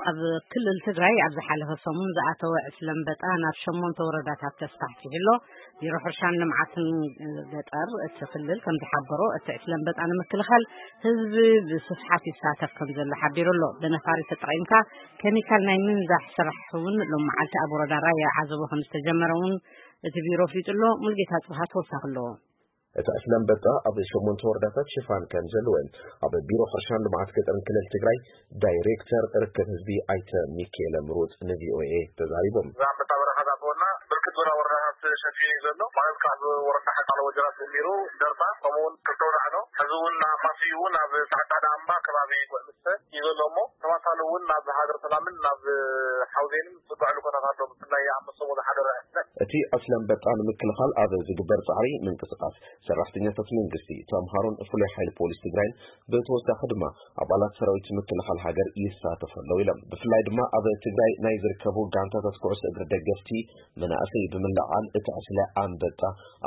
ኣብ ክልል ትግራይ ኣብ ዝሓለፈ ሰሙን ዝኣተወ ዕስለ ኣንበጣ ናብ ሸሞንተ ወረዳታት ተስፋሕፊሑ ኣሎ። ቢሮ ሕርሻን ልምዓትን ገጠር እቲ ክልል ከም ዝሓበሮ፣ እቲ ዕስለ ኣንበጣ ንምክልኻል ህዝቢ ብስፍሓት ይሳተፍ ከም ዘሎ ሓቢሩ ኣሎ። ብነፋሪት ተጠቒምካ ኬሚካል ናይ ምንዛሕ ስራሕ እውን ሎም መዓልቲ ኣብ ወረዳ ራያ ዓዘቦ ከም ዝተጀመረ እውን እቲ ቢሮ ኣፍሊጡ ኣሎ። ሙልጌታ ጽብሃ ተወሳኺ ኣለዎ። እቲ ዕስለ ኣንበጣ ኣብ ሸሞንተ ወረዳታት ሽፋን ከም ዘለዎን ኣብ ቢሮ ሕርሻን ልምዓት ገጠርን ክልል ትግራይ ዳይሬክተር ርክብ ህዝቢ ኣይተ ሚካኤለ ምሩፅ ንቪኦኤ ተዛሪቦም። እዛ ኣንበጣ በረኻ ዝኣተወና ብርክት ዝበላ ወረዳታት ሸፊኑ እዩ ዘሎ። ማለት ካብ ወረዳ ሓቃሎ ወጀራት ጀሚሩ ደርባ፣ ከምኡ እውን ክልተ ወዳዕሎ፣ ሕዚ እውን ኣብ ማስዩ እውን ኣብ ሰዓዳ ዳምባ ከባቢ ጉዕምስተ እዩ ዘሎ። እሞ ተማሳሊ እውን ናብ ሃገር ሰላምን ናብ ሓውዜንን ዝጓዕሉ ኩነታት ኣሎ። ብፍላይ ኣብ መሰቦ ዝሓደረ ዕስለ። እቲ ዕስለ ኣንበጣ ንምክልኻል ኣብ ዝግበር ጻዕሪ ምንቅስቓስ ሰራሕተኛታት መንግስቲ፣ ተምሃሮን ፍሉይ ሓይሊ ፖሊስ ትግራይን ብተወሳኺ ድማ ኣባላት ሰራዊት ምክልኻል ሃገር ይሳተፉ ኣለዉ ኢሎም። ብፍላይ ድማ ኣብ ትግራይ ናይ ዝርከቡ ጋንታታት ኩዕሶ እግሪ ደገፍቲ መናእሰይ ብምልዓል እቲ ዕስለ ኣንበጣ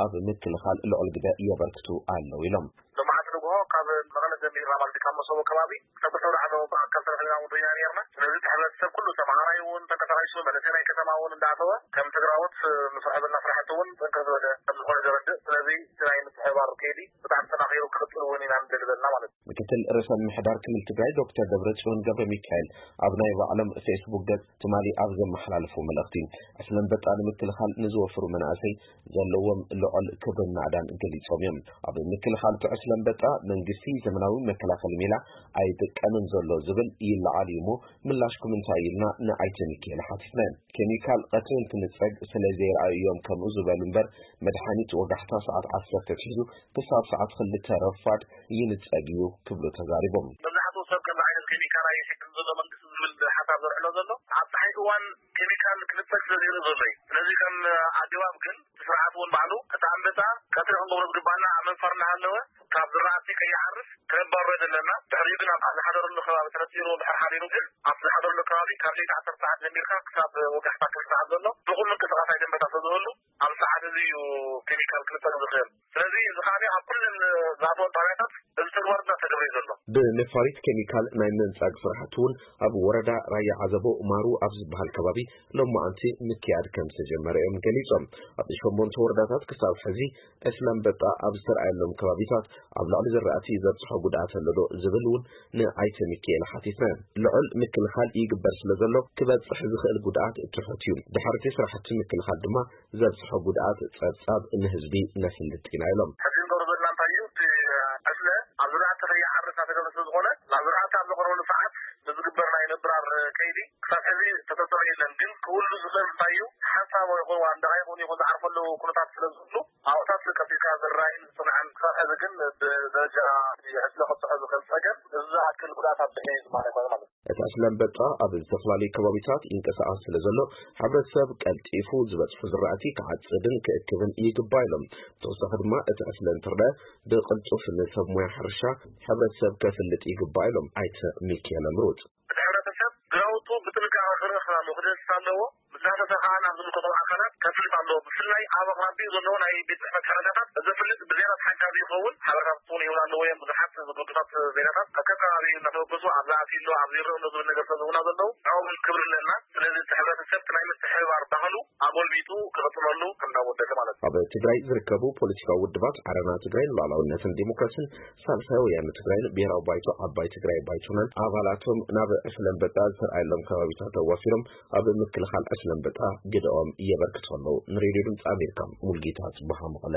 ኣብ ምክልኻል ልዑል ግደ የበርክቱ ኣለዉ ኢሎም። ሎማዓንቲ ንግሆ ካብ መቐለ ጀሚርና ማለት እዩ፣ ካብ መሰቦ ከባቢ ክሳብ ክልተ ወዳዕሎ ብኣካል ተረኺብና እውን ርኢና ነርና። ስለዚ እቲ ሕብረተሰብ ኩሉ ተምሃራይ እውን ተንቀሳቒሱ፣ መንእሰይ ናይ ከተማ እውን እንዳኣተወ ከም ትግራዎት ንሰርሖ ዘለና ስራሕቲ እውን ጥንክር ዝበለ ከም ዝኾነ ዘረድእ። ስለዚ እቲ ናይ ምትሕብባር ከይዲ ብጣዕሚ ተጠናኺሩ ክቕፅል እውን ኢና ንደሊ ዘለና ማለት እዩ። ምክትል ርእሰ ምምሕዳር ክልል ትግራይ ዶክተር ደብረጽዮን ገብረ ሚካኤል ኣብ ናይ ባዕሎም ፌስቡክ ገጽ ትማሊ ኣብ ዘመሓላለፉ መልእኽቲ፣ ዕስለ ኣንበጣ ንምክልኻል ንዝወፍሩ መናእሰይ ዘለዎም ልዑል ክብርን ናእዳን ገሊጾም እዮም። ኣብ ምክልኻል እቲ ዕስለ ኣንበጣ መንግስቲ ዘመናዊ መከላኸሊ ሜላ ኣይጥቀምን ዘሎ ዝብል ይለዓል እዩ እሞ፣ ምላሽኩም እንታይ እዩ ኢልና ንኣይተ ሚካኤል ሓቲትና። ኬሚካል ቀትሪ እንትንጸግ ስለ ዘይረኣዩ እዮም ከምኡ ዝበሉ እምበር፣ መድሓኒት ወጋሕታ ሰዓት ዓሰርተ ኣትሒዙ ክሳብ ሰዓት ክልተ ረፋድ ይንጸግ እዩ ክብሉ ተዛሪቦም። መብዛሕትኡ ሰብ ከምዚ ዓይነት ኬሚካል ኣይሕግን ዘሎ መንግስቲ ዝብል ሓሳብ ዘርሕሎ ዘሎ፣ ኣብ ጸሓይ እዋን ኬሚካል ክንጸግ ስለ ዘይርኢ ዘሎ እዩ። ስለዚ ከም ኣገባብ ግን እቲ ስርዓት እውን ባዕሉ እቲ ኣንበጣ ቀትሪ ክንገብሮ ዝግባና ኣብ መንፋር እናሃለወ ካብ ዝራእቲ ከይዓርፍ ክነባሮ ዘለና። ድሕሪኡ ግን ኣብ ዝሓደረሉ ከባቢ ተነጺሩ ድሕሪ ሓዲሩ ግን ኣብ ዝሓደረሉ ከባቢ ካብ ለይቲ ዓሰርተ ሰዓት ጀሚርካ ክሳብ ወጋሕታ ክልተ ሰዓት ዘሎ ድኹም ምንቅስቓስ ኣይተንበታ ስለ ዝህሉ ኣብ ሰዓት እዚ እዩ ኬሚካል ክልጠፍ ዝኽእል። ስለዚ እዚ ከኣ ኣብ ኩለን ዝኣተወን ጣብያታት እዚ ተግባር እናተገብረ እዩ ዘሎ። ብነፋሪት ኬሚካል ናይ ምንጻግ ስራሕቲ እውን ኣብ ወረዳ ራያ ዓዘቦ ማሩ ኣብ ዝበሃል ከባቢ ሎማዓንቲ ምክያድ ከም ዝተጀመረ እዮም ገሊጾም። ኣብ ሸሞንተ ወረዳታት ክሳብ ሕዚ ዕስለ ኣንበጣ ኣብ ዝተረኣየሎም ከባቢታት ኣብ ልዕሊ ዝራእቲ ዘብጽሖ ጉድኣት ኣሎ ዶ ዝብል እውን ንኣይተ ሚካኤል ሓቲትና። ልዑል ምክልኻል ይግበር ስለ ዘሎ ክበጽሕ ዝኽእል ጉድኣት ትሑት እዩ። ድሕርቲ ስራሕቲ ምክልኻል ድማ ዘብጽሖ ጉድኣት ጸብጻብ ንህዝቢ ነፍልጥ ኢና ኢሎም። ሕዚ ንገብሮ ዘለና እንታይ እዩ? እቲ ዕስለ ኣብ ዝራእቲ ከይዓርፍ እናተገብረ ስለ ዝኾነ ናብ ዝራእቲ ኣብ ዘቕረበሉ ሰዓት ብዝግበር ናይ ምብራር ከይዲ ክሳብ ሕዚ ተተሰበ የለን። ግን ክህሉ ዝኽእል እንታይ እዩ? ሓንሳብ ይኹን ዋንደቓ ይኹን ይኹን ዝዓርፈሉ ኩነታት ስለ ዝህሉ ኣብታት ቀልጢፍካ ዝራይን ዝጽንዐን ክሳብ ሕዚ ግን ብደረጃ ዕስለ ከብጽሖ ዝኽእል ጸገም እዚ ዝኣክል ጉድኣት ኣብጽሑ እዩ ዝማነ ኮይኑ ማለት እዩ። እቲ ዕስለ ኣንበጣ ኣብ ዝተፈላለዩ ከባቢታት ይንቀሳቐስ ስለ ዘሎ ሕብረተሰብ ቀልጢፉ ዝበጽሑ ዝራእቲ ክዓጽድን ክእክብን ይግባእ ኢሎም። ብተወሳኺ ድማ እቲ ዕስለ እንትርአ ብቕልጡፍ ንሰብ ሞያ ሕርሻ ሕብረተሰብ ከፍልጥ ይግባእ ኢሎም ኣይተ ሚካኤል ምሩፅ። እቲ ሕብረተሰብ ግራውቱ ብጥንቃቐ ክርኢ ክኸውን ኣለዎ፣ ክደስስ ኣለዎ። ምስ ዳሰሰ ከዓ ናብ ዝምልከቶም ኣካላት ከፍልጥ ኣለዎ። ብፍላይ ኣብ ኣቕራቢኡ ዘለዎ ናይ ቤት ጽሕፈት ሓበሬታታት ዘፍልጥ ብዜናታት ሓጋዚ ይኸውን። ሓበሬታታት እውን ይህቡና ኣለዎ እዮም። ብዙሓት ዝግብታት ዜናታት ካብ ከባቢ እናተበገሱ ኣብዚ ኣትዩ ኣሎ፣ ኣብዚ ይረአ ኣሎ ዝብል ነገር ስለ ዝህቡና ዘለዉ ንዕኦም ክብሪ ኣለና። ስለዚ እቲ ሕብረተሰብ እቲ ናይ ምትሕብባር ባህሉ ኣጎልቢቱ ክቕጽለሉ ከም እንዳወደሰ ማለት እዩ። ኣብ ትግራይ ዝርከቡ ፖለቲካዊ ውድባት ዓረና ትግራይ ንሉዓላውነትን ዲሞክራሲን፣ ሳልሳይ ወያነ ትግራይን ብሄራዊ ባይቶ ዓባይ ትግራይ ባይቶናን ኣባላቶም ናብ ዕስለ ኣንበጣ ዝተርኣየሎም ከባቢታት ኣዋፊሮም ኣብ ምክልኻል ዕስለ ኣንበጣ ግደኦም የበርክቱ ኣለዉ። ንሬድዮ ድምፂ ኣሜሪካ ሙልጌታ ጽቡሃ መቐለ።